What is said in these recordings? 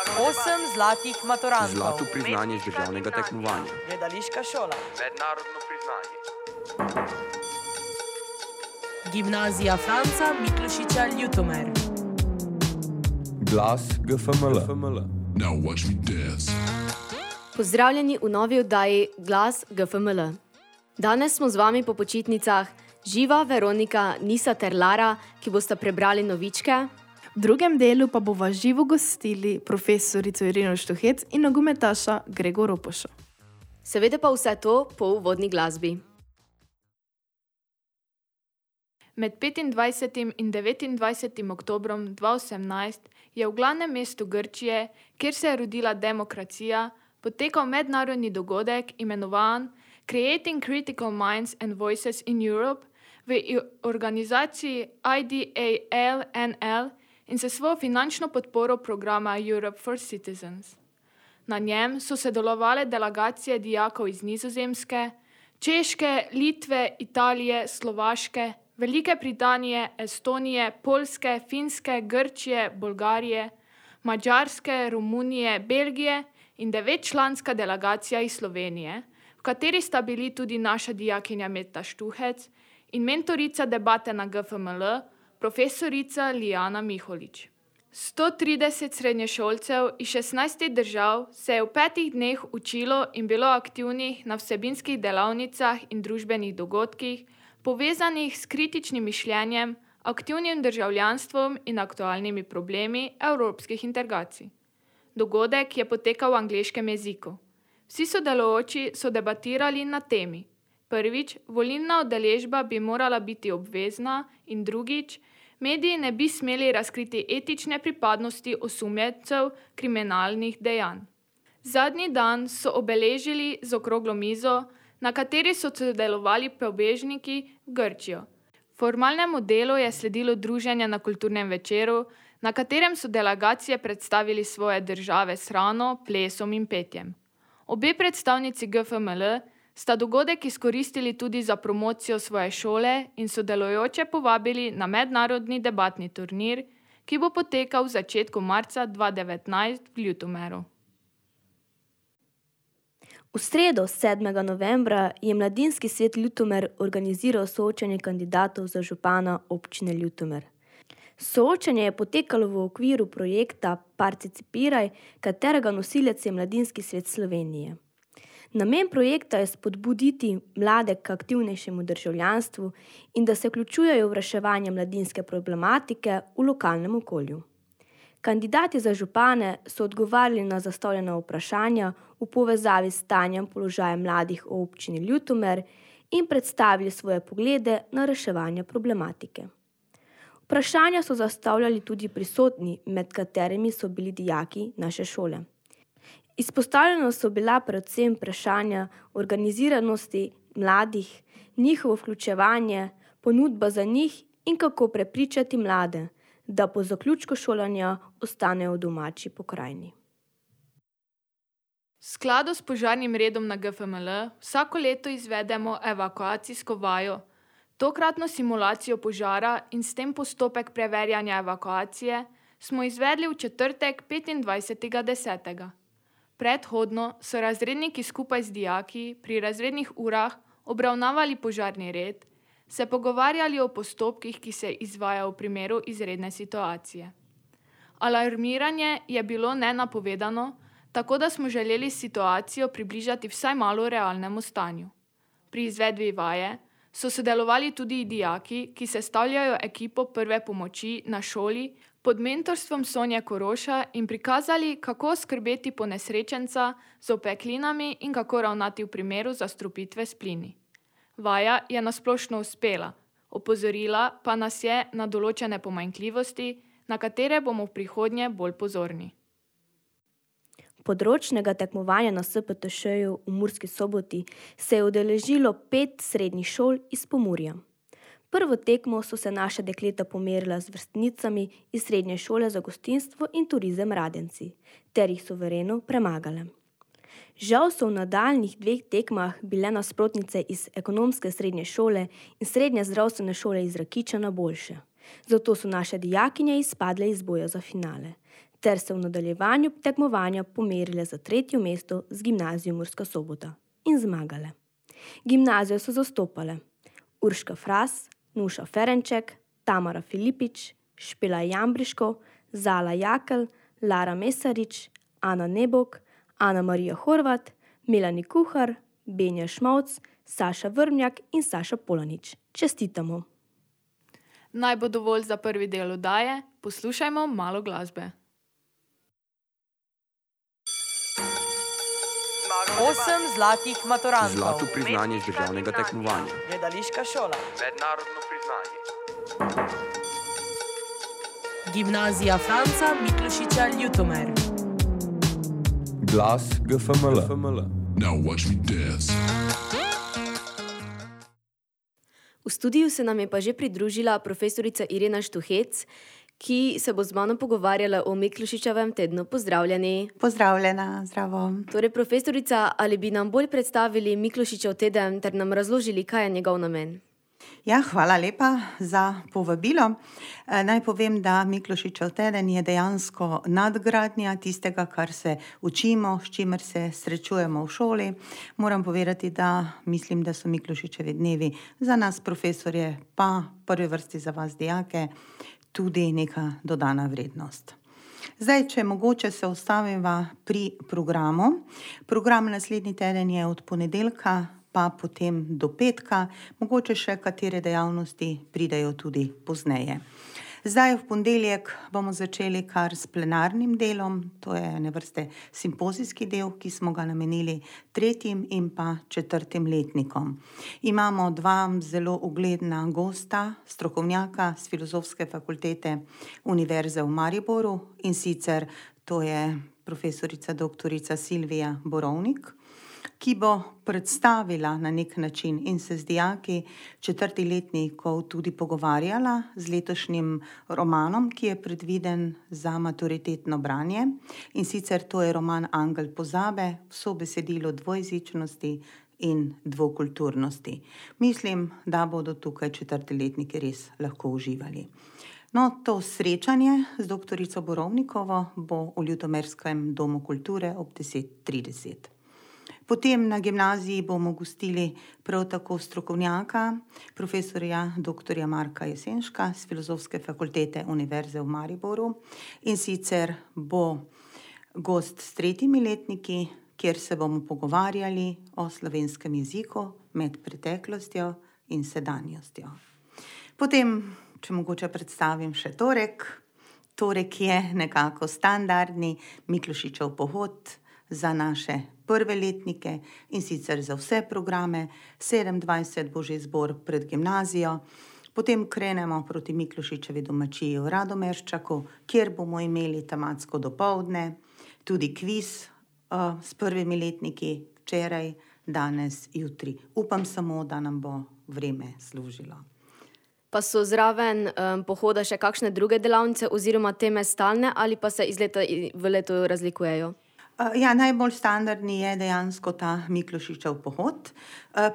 8 zlatih maturantov. Zlato priznanje z državnega tekmovanja. Gledališka šola. Mednarodno priznanje. Gimnazija Franca Miklošiča Ljutomer. Glas GFML. Now watch me dance. Pozdravljeni v novi oddaji Glas GFML. Danes smo z vami po počitnicah Živa, Veronika, Nisa ter Lara, ki bosta prebrali novičke. V drugem delu pa bova živo gostili profesorico Irino Štuhec in nogometaša Gregor Ropoša. Seveda pa vse to po uvodni glasbi. Med 25. in 29. oktobrom 2018 je v glavnem mestu Grčije, kjer se je rodila demokracija, potekal mednarodni dogodek imenovan Creating Critical Minds and Voices in Europe v organizaciji IDAL-NL in se svojo finančno podporo programa Europe for Citizens. Na njem so sodelovale delegacije dijakov iz Nizozemske, Češke, Litve, Italije, Slovaške, Velike Britanije, Estonije, Poljske, Finske, Grčije, Bolgarije, Madžarske, Romunije, Belgije in 9-članska delegacija iz Slovenije, v kateri sta bili tudi naša dijakinja Meta Štuhec in mentorica debate na GFML, profesorica Lijana Miholič. 130 srednješolcev iz 16 držav se je v 5 dneh učilo in bilo aktivnih na vsebinskih delavnicah in družbenih dogodkih, povezanih s kritičnim mišljenjem, aktivnim državljanstvom in aktualnimi problemi evropskih integracij. Dogodek je potekal v angleškem jeziku. Vsi sodelujoči so debatirali na temi. Prvič, volilna udeležba bi morala biti obvezna in drugič, mediji ne bi smeli razkriti etične pripadnosti osumljencev kriminalnih dejanj. Zadnji dan so obeležili z okroglo mizo, na kateri so sodelovali prebežniki v Grčijo. Formalnemu delu je sledilo druženje na kulturnem večeru, na katerem so delegacije predstavili svoje države s hrano, plesom in petjem. Obe predstavnici GFML sta dogodek izkoristili tudi za promocijo svoje šole in sodelujoče povabili na mednarodni debatni turnir, ki bo potekal v začetku marca 2019 v Ljutomeru. V sredo, 7. novembra, je Mladinski svet Ljutomer organiziral soočenje kandidatov za župana občine Ljutomer. Soočenje je potekalo v okviru projekta Participiraj, katerega nosilec je Mladinski svet Slovenije. Namen projekta je spodbuditi mlade k aktivnejšemu državljanstvu in da se vključujejo v reševanje mladinske problematike v lokalnem okolju. Kandidati za župane so odgovarjali na zastavljena vprašanja v povezavi s stanjem položaja mladih v občini Ljutomer in predstavili svoje poglede na reševanje problematike. Vprašanja so zastavljali tudi prisotni, med katerimi so bili dijaki naše šole. Izpostavljeno so bila predvsem vprašanja organiziranosti mladih, njihovo vključevanje, ponudba za njih in kako prepričati mlade, da po zaključku šolanja ostanejo v domači pokrajini. V skladu s požarnim redom na GFML vsako leto izvedemo evakuacijsko vajo, tokratno simulacijo požara in s tem postopek preverjanja evakuacije smo izvedli v četrtek 25.10. Predhodno so razredniki skupaj z dijaki pri razrednih urah obravnavali požarni red, se pogovarjali o postopkih, ki se izvajajo v primeru izredne situacije. Alarmiranje je bilo nenapovedano, tako da smo želeli situacijo približati vsaj malo realnemu stanju. Pri izvedbi vaje so sodelovali tudi dijaki, ki sestavljajo ekipo prve pomoči na šoli pod mentorstvom Sonje Koroša in prikazali, kako skrbeti ponesrečenca z opeklinami in kako ravnati v primeru zastrupitve s plini. Vaja je nasplošno uspela, opozorila pa nas je na določene pomanjkljivosti, na katere bomo v prihodnje bolj pozorni. Področnega tekmovanja na SPTŠ-ju v Murski Soboti se je udeležilo 5 srednjih šol iz Pomurja. Prvo tekmo so se naša dekleta pomerila z vrstnicami iz Srednje šole za gostinstvo in turizem Radenci, ter jih suvereno premagale. Žal so v nadaljnjih 2 tekmah bile nasprotnice iz Ekonomske srednje šole in Srednje zdravstvene šole iz Rakičana boljše. Zato so naše dijakinje izpadle iz boja za finale, ter se v nadaljevanju tekmovanja pomerile za 3. mesto z gimnazijo Murska Sobota in zmagale. Gimnazijo so zastopale Urška Fras, Nuša Ferenček, Tamara Filipič, Špela Jambriško, Zala Jakel, Lara Mesarič, Ana Nebok, Ana Marija Horvat, Melani Kuhar, Benja Šmovc, Saša Vrmjak in Saša Polanič. Čestitamo! Naj bo dovolj za prvi del oddaje, poslušajmo malo glasbe. 8 zlatih maturantov. Zlato priznanje z državnega tekmovanja. Gledališka šola. Mednarodno priznanje. Gimnazija Franca Miklošiča Ljutomer. Glas GFML. Now watch me dance. V studiu se nam je pa že pridružila profesorica Irena Štuhec, ki se bo z mano pogovarjala o Miklošičevem tednu. Pozdravljeni. Pozdravljena, zdravo. Torej, profesorica, ali bi nam bolj predstavili Miklošičev teden ter nam razložili, kaj je njegov namen? Ja, hvala lepa za povabilo. Naj povem, da Miklošičev teden je dejansko nadgradnja tistega, kar se učimo, s čimer se srečujemo v šoli. Moram povedati, da mislim, da so Miklošičevi dnevi za nas profesorje, pa v prvi vrsti za vas dijake, tudi neka dodana vrednost. Zdaj, če mogoče se ustaviva pri programu. Program naslednji teden je od ponedeljka pa potem do petka, mogoče še katere dejavnosti pridejo tudi pozneje. Zdaj v ponedeljek bomo začeli kar s plenarnim delom, to je ene vrste simpozijski del, ki smo ga namenili 3. in pa 4. letnikom. Imamo 2 zelo ugledna gosta, strokovnjaka z Filozofske fakultete Univerze v Mariboru, in sicer to je profesorica doktorica Silvija Borovnik, ki bo predstavila na nek način in se z dijaki 4. letnikov tudi pogovarjala z letošnjim romanom, ki je predviden za maturitetno branje. In sicer to je roman Angel pozabe, vso besedilo dvojezičnosti in dvokulturnosti. Mislim, da bodo tukaj 4. letniki res lahko uživali. No, to srečanje z doktorico Borovnikovo bo v Ljutomerskem domu kulture ob 10:30. Potem na gimnaziji bomo gostili prav tako strokovnjaka, profesorja dr. Marka Jesenška z Filozofske fakultete Univerze v Mariboru. In sicer bo gost s 3. letniki, kjer se bomo pogovarjali o slovenskem jeziku med preteklostjo in sedanjostjo. Potem, če mogoče predstavim še torek. Torek je nekako standardni Miklošičev pohod za naše prve letnike in sicer za vse programe. 27 bo že zbor pred gimnazijo. Potem krenemo proti Miklošičevi domačiji v Radomerščaku, kjer bomo imeli tematsko dopoldne, tudi kviz s prvimi letniki včeraj, danes, jutri. Upam samo, da nam bo vreme služilo. Pa so zraven pohoda še kakšne druge delavnice oziroma teme stalne ali pa se iz leta v leto razlikujejo? Ja, najbolj standardni je dejansko ta Miklošičev pohod.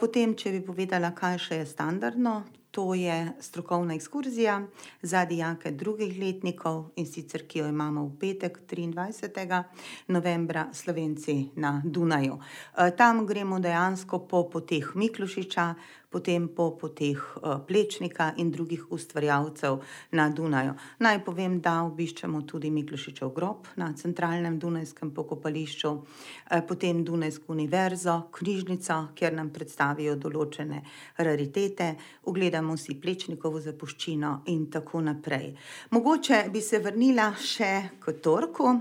Potem, če bi povedala, kaj še je standardno, to je strokovna ekskurzija za dijake 2. letnikov, in sicer ki jo imamo v petek 23. novembra Slovenci na Dunaju. Tam gremo dejansko po poteh Miklošiča, potem po poteh Plečnika in drugih ustvarjalcev na Dunaju. Naj povem, da obiščemo tudi Miklošičev grob na centralnem dunajskem pokopališču, potem Dunajsko univerzo, knjižnico, kjer nam predstavijo določene raritete, ogledamo si Plečnikovo zapuščino in tako naprej. Mogoče bi se vrnila še k torku.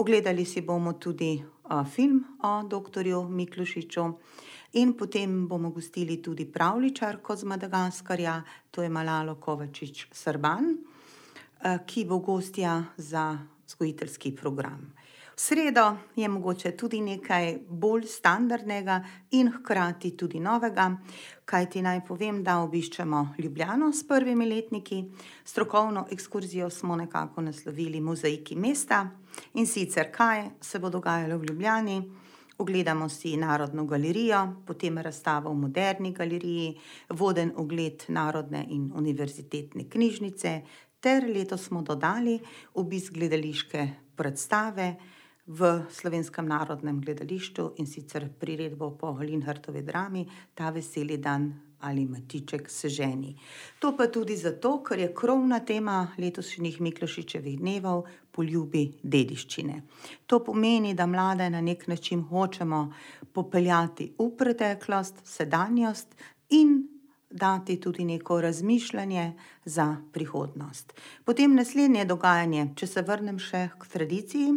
Ogledali si bomo tudi film o doktorju Miklošiču. In potem bomo gostili tudi pravljičarko z Madagaskarja, to je Malalo Kovačič Srban, ki bo gostja za vzgojiteljski program. V sredo je mogoče tudi nekaj bolj standardnega in hkrati tudi novega, kajti naj povem, da obiščemo Ljubljano s prvimi letniki. Strokovno ekskurzijo smo nekako naslovili Mozaiki mesta, in sicer kaj se bo dogajalo v Ljubljani. ogledamo si Narodno galerijo, potem razstavo v Moderni galeriji, voden ogled Narodne in univerzitetne knjižnice, ter letos smo dodali obisk gledališke predstave v Slovenskem narodnem gledališču, in sicer priredbo po Linhartovi drami Ta veseli dan ali Matiček se ženi. To pa tudi zato, ker je krovna tema letošnjih Miklošičevih dnevov poljubi dediščine. To pomeni, da mlade na nek način hočemo popeljati v preteklost, sedanjost in dati tudi neko razmišljanje za prihodnost. Potem naslednje dogajanje, če se vrnem še k tradiciji.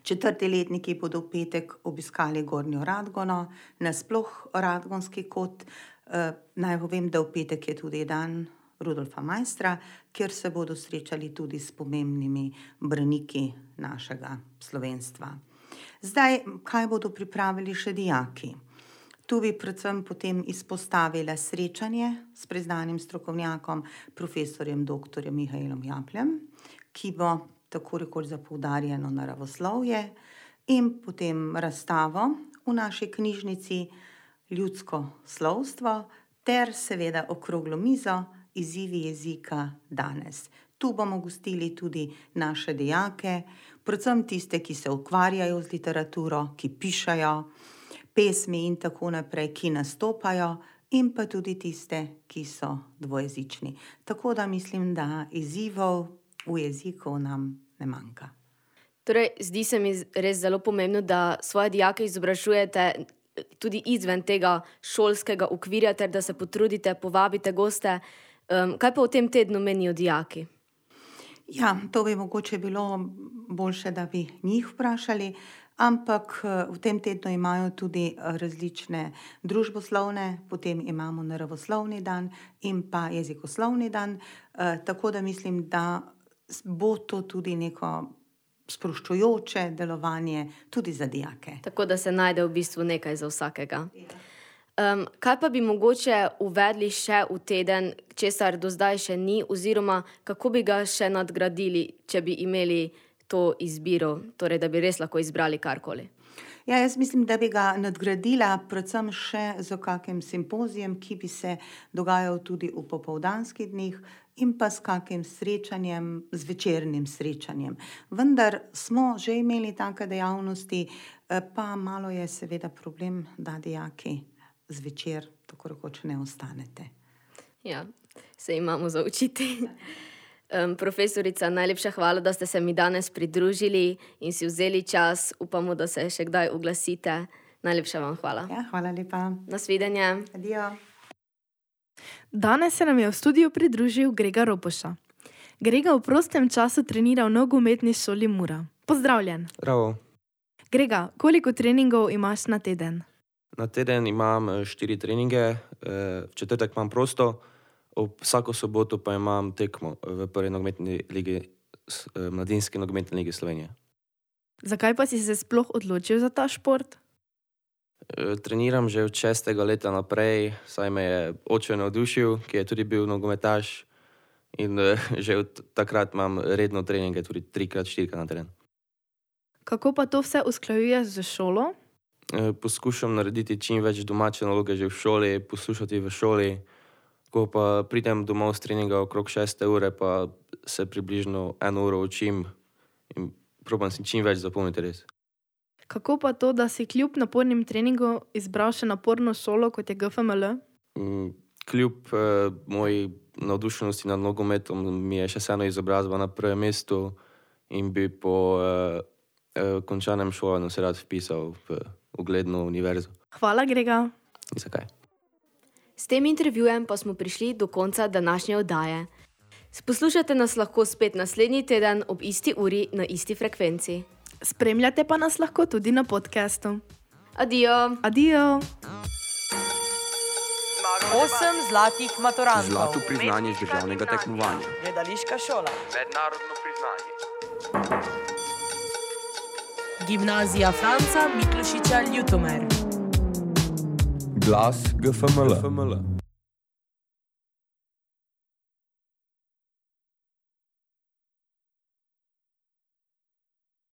4. letniki bodo v petek obiskali Gornjo Radgono, nasploh Radgonski kot. Naj povem, da v petek je tudi dan Rudolfa Maistra, kjer se bodo srečali tudi s pomembnimi braniki našega slovenstva. Zdaj, kaj bodo pripravili še dijaki? Tu bi predvsem potem izpostavila srečanje s priznanim strokovnjakom, profesorjem dr. Mihaelom Japljem, ki bo tako rekoč za poudarjeno naravoslovje, in potem razstavo v naši knjižnici Ljudsko slovstvo ter seveda okroglo mizo Izzivi jezika danes. Tu bomo gostili tudi naše dijake, predvsem tiste, ki se ukvarjajo z literaturo, ki pišajo pesmi in tako naprej, ki nastopajo, in pa tudi tiste, ki so dvojezični. Tako da mislim, da izzivov v jeziku nam ne manjka. Torej, zdi se mi res zelo pomembno, da svoje dijake izobražujete tudi izven tega šolskega okvirja, ter da se potrudite, povabite goste. Kaj pa v tem tednu menijo dijaki? Ja, to bi mogoče bilo boljše, da bi njih vprašali, ampak v tem tednu imajo tudi različne družboslovne, potem imamo naravoslovni dan in pa jezikoslovni dan, tako da mislim, da bo to tudi neko sproščujoče delovanje tudi za dijake. Tako da se najde v bistvu nekaj za vsakega. Kaj pa bi mogoče uvedli še v teden, česar do zdaj še ni, oziroma kako bi ga še nadgradili, če bi imeli to izbiro, torej da bi res lahko izbrali karkoli? Ja, jaz mislim, da bi ga nadgradila predvsem še z kakim simpozijem, ki bi se dogajal tudi v popoldanskih dneh, in pa s kakim srečanjem, z večernim srečanjem. Vendar smo že imeli take dejavnosti, pa malo je seveda problem, da dijaki zvečer tako rekoč ne ostanete. Ja, se imamo za učiti. Profesorica, najlepša hvala, da ste se mi danes pridružili in si vzeli čas. Upamo, da se še kdaj oglasite. Najlepša vam hvala. Ja, hvala lepa. Nasvidenje. Adijo. Danes se nam je v studiu pridružil Grega Ropoša. Grega v prostem času trenira v nogometni šoli Mura. Pozdravljen. Bravo. Grega, koliko treningov imaš na teden? Na teden imam 4 treninge, v četrtek imam prosto, vsako soboto pa imam tekmo v prvi nogometni ligi, mladinski nogometni ligi Slovenije. Zakaj pa si se sploh odločil za ta šport? Treniram že od 6. leta naprej, saj me je oče navdušil, ki je tudi bil nogometaš, in že od takrat imam redno treninge, tudi 3x4 na teden. Kako pa to vse usklajuješ z šolo? Poskušam narediti čim več domače naloge že v šoli, poslušati v šoli. Ko pa pridem domov z treninga okrog 6. ure, pa se približno 1 uro učim in probam si čim več zapomniti res. Kako pa to, da si kljub napornim treningom izbral še naporno šolo, kot je GFML? Kljub moji navdušenosti nad nogometom mi je še vseeno izobrazba na prvem mestu in bi po končanem šolanju se rad vpisal v ugledno univerzo. Hvala, Grega. Zakaj? S tem intervjujem pa smo prišli do konca današnje oddaje. Poslušate nas lahko spet naslednji teden ob isti uri na isti frekvenci. Spremljate pa nas lahko tudi na podcastu. Adijo. Adijo. 8 zlatih maturantov. Zlato priznanje z državnega tekmovanja. Gledališka šola. Mednarodno priznanje. Gimnazija Franca Miklošiča Ljutomer. Glas GFML.